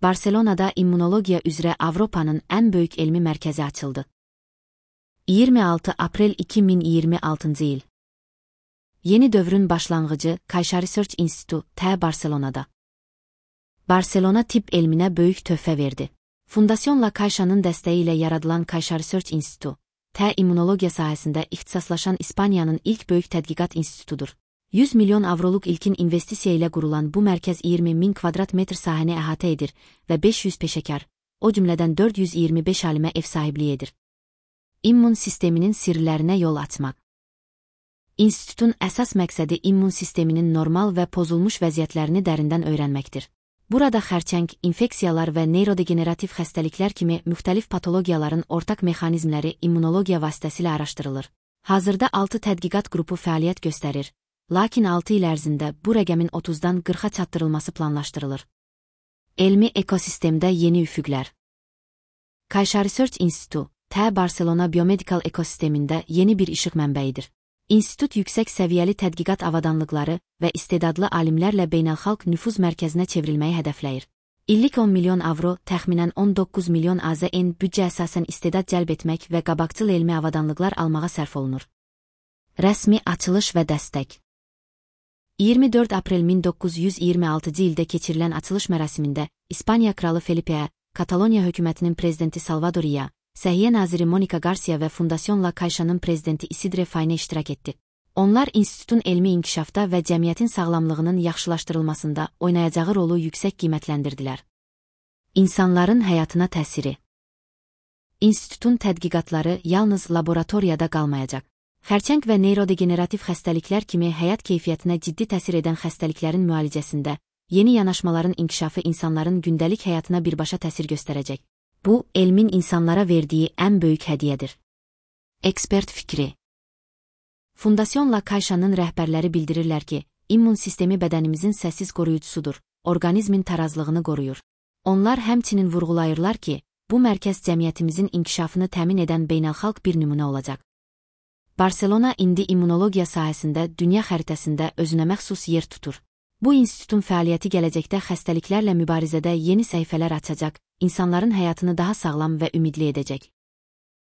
Barselonada immunologiya üzrə Avropanın ən böyük elmi mərkəzi açıldı. 26 aprel 2026 il. Yeni dövrün başlanğıcı Caixa Research Institute T Barselonada. Barselona tibb elminə böyük töhfə verdi. Fundasyonla Caixa'nın dəstəyi ilə yaradılan Caixa Research Institute T immunologiya sahəsində ixtisaslaşan İspaniyanın ilk böyük tədqiqat institutudur. 100 milyon avroluq ilkin investisiya ilə qurulan bu mərkəz 20.000 kvadrat metr sahəni əhatə edir və 500 peşəkar, o cümlədən 425 alimə ev sahibliyi edir. İmmun sisteminin sirlərinə yol açmaq. İnstitutun əsas məqsədi immun sisteminin normal və pozulmuş vəziyyətlərini dərindən öyrənməkdir. Burada xərçəng, infeksiyalar və neyrodegenerativ xəstəliklər kimi müxtəlif patologiyaların ortaq mexanizmləri immunologiya vasitəsilə araşdırılır. Hazırda 6 tədqiqat qrupu fəaliyyət göstərir. Lakin 6 il ərzində bu rəqəmin 30-dan 40-a çatdırılması planlaşdırılır. Elmi ekosistemdə yeni üfüqlər. Caixa Research Institute T Barselona biomedikal ekosistemində yeni bir işıq mənbəyidir. İnstitut yüksək səviyyəli tədqiqat avadanlıqları və istedadlı alimlərlə beynəlxalq nüfuz mərkəzinə çevrilməyi hədəfləyir. İllik 10 milyon avro, təxminən 19 milyon AZN büdcə əsasən istedad cəlb etmək və qabaqcıl elmi avadanlıqlar almağa sərf olunur. Rəsmi açılış və dəstək. 24 aprel 1926 ildə keçirilən açılış mərasimində İspaniya kralı Felipe'yə, Kataloniya hökumətinin prezidenti Salvador Illa, Səhiyyə naziri Monica Garcia və Fundasyonla Caixa'nın prezidenti Isidre Fayne iştirak etdi. Onlar institutun elmi inkişafda və cəmiyyətin sağlamlığının yaxşılaşdırılmasında oynayacağı rolu yüksək qiymətləndirdilər. İnsanların həyatına təsiri. İnstitutun tədqiqatları yalnız laboratoriyada qalmayacaq. Xərçəng və neyrodegenerativ xəstəliklər kimi həyat keyfiyyətinə ciddi təsir edən xəstəliklərin müalicəsində yeni yanaşmaların inkişafı insanların gündəlik həyatına birbaşa təsir göstərəcək. Bu, elmin insanlara verdiyi ən böyük hədiyyədir. Ekspert fikri. Fundasyonla Caixa'nın rəhbərləri bildirirlər ki, immun sistemi bədənimizin səssiz qoruyucusudur, orqanizmin tarazlığını qoruyur. Onlar həmçinin vurğulayırlar ki, bu mərkəz cəmiyyətimizin inkişafını təmin edən beynəlxalq bir nümunə olacaq. Barselona indi immunologiya sahəsində dünya xəritəsində özünə məxsus yer tutur. Bu institutun fəaliyyəti gələcəkdə xəstəliklərlə mübarizədə yeni səhifələr açacaq, insanların həyatını daha sağlam və ümidli edəcək.